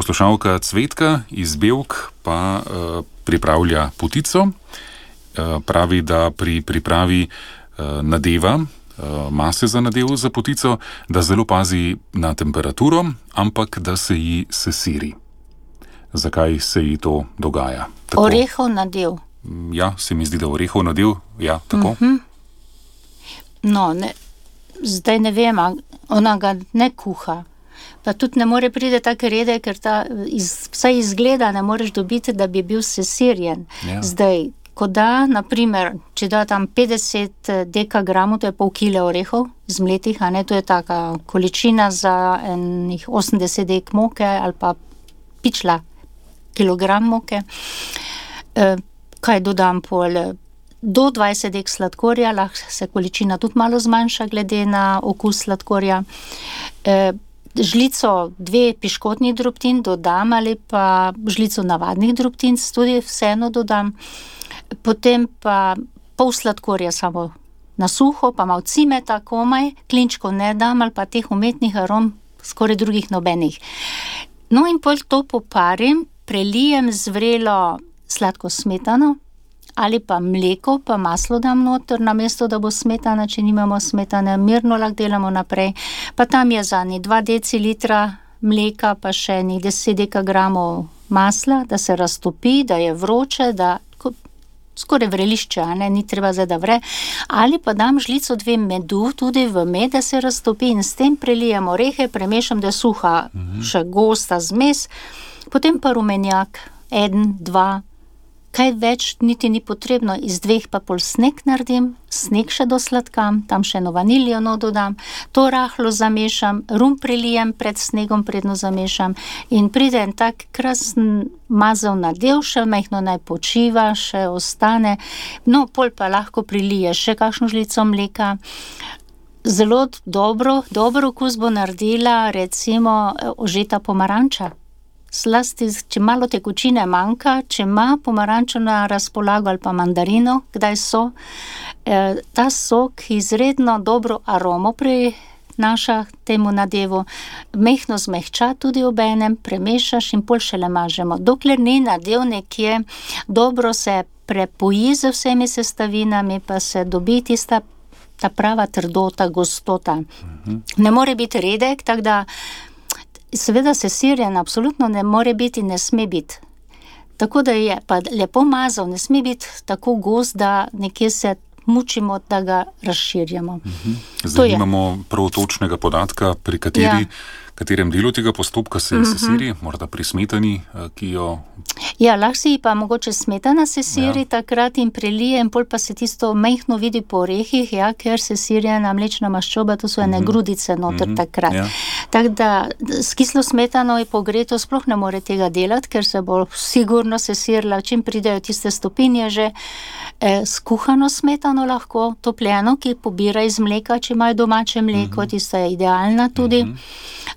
Poslušalka Cvetka iz Bevk pa pripravlja potico. Pravi, da pri pripravi nadeva, mase za nadev za potico, da zelo pazi na temperaturo, ampak da se ji sesiri. Zakaj se ji to dogaja? Tako. Orehov nadev. Ja, se mi zdi, da orehov nadev, ja, tako. No, zdaj ne vem, ona ga ne kuha. Pa tudi ne more priti tako redek, ker vsaj izgleda ne moreš dobiti, da bi bil sesirjen. Ja. Zdaj, ko da, naprimer, če da tam 50 dekagramov, to je pol kile orehov zmletih, to je taka količina za enih 80 dek moke ali pa pičla kilogram moke. Kaj dodam pol? Do 20 dek sladkorja, lahko se količina tudi malo zmanjša glede na okus sladkorja. Žlico 2 piškotnih drobtin dodam ali pa žlico navadnih drobtin tudi vseeno dodam. Potem pa pol sladkorja samo na suho, pa malo cimeta komaj, klinčkov ne dam ali pa teh umetnih arom, skoraj drugih nobenih. No in pol to poparim, prelijem z vrelo sladko smetano ali pa mleko, pa maslo dam noter, namesto da bo smetana, če nimamo smetane, mirno lahko delamo naprej. Pa tam je za 2 decilitra mleka, pa še 10 dekagramov masla, da se raztopi, da je vroče, da skoraj vrelišče, ni treba zdaj, da vre. Ali pa dam žlico 2 medu tudi v med, da se raztopi in s tem prelijem orehe, premešam, da je suha, še gosta zmes. Potem pa rumenjak, 1, 2, kaj več niti ni potrebno, iz 2 pa pol sneg naredim, sneg še dosladkam, tam še eno vaniljo dodam, to rahlo zamešam, rum prelijem pred snegom, predno zamešam in pride en tak krasen mazel nadev, še majhno naj počiva, še ostane, no pol pa lahko prilije še kakšno žlico mleka. Zelo dober okus bo naredila recimo ožeta pomaranča. Zlasti, če malo tekočine manjka, če ima pomarančo na razpolago ali pa mandarino, kdaj so, ta sok izredno dobro aromo prinaša temu nadevu, mehko zmehča tudi obenem, premešaš in pol šele mažemo. Dokler ni nadev nekje, dobro se prepoji z vsemi sestavinami, pa se dobi ta prava trdota, gostota. Ne more biti redek, tako da seveda sesirjen absolutno ne more biti, ne sme biti. Tako da je pa lepo mazal, ne sme biti tako gost, da nekje se mučimo, da ga razširjamo. Zdaj imamo prav točnega podatka, pri katerem delu tega postopka se sesiri, morda pri smetani, ki jo... Ja, lahko si pa mogoče smetana sesiri takrat in prelije in pol pa se tisto majhno vidi po orehih, ker sesirjena mlečna maščoba, to so ene grudice noter takrat. Tako da s kislo smetano je pogreto, sploh ne more tega delati, ker se bo sigurno sesirila, čim pridejo tiste stopinje že, skuhano smetano lahko, topljeno, ki pobira iz mleka, če imajo domače mleko, tista je idealna tudi,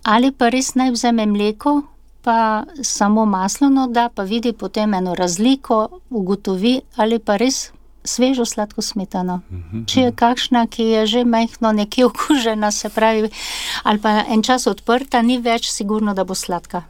ali pa res naj vzeme mleko, pa samo maslo da, pa vidi potem eno razliko, ugotovi, ali pa res svežo sladko smetano. Če je kakšna, ki je že majhno nekje okužena, se pravi, ali pa en čas odprta, ni več sigurno, da bo sladka.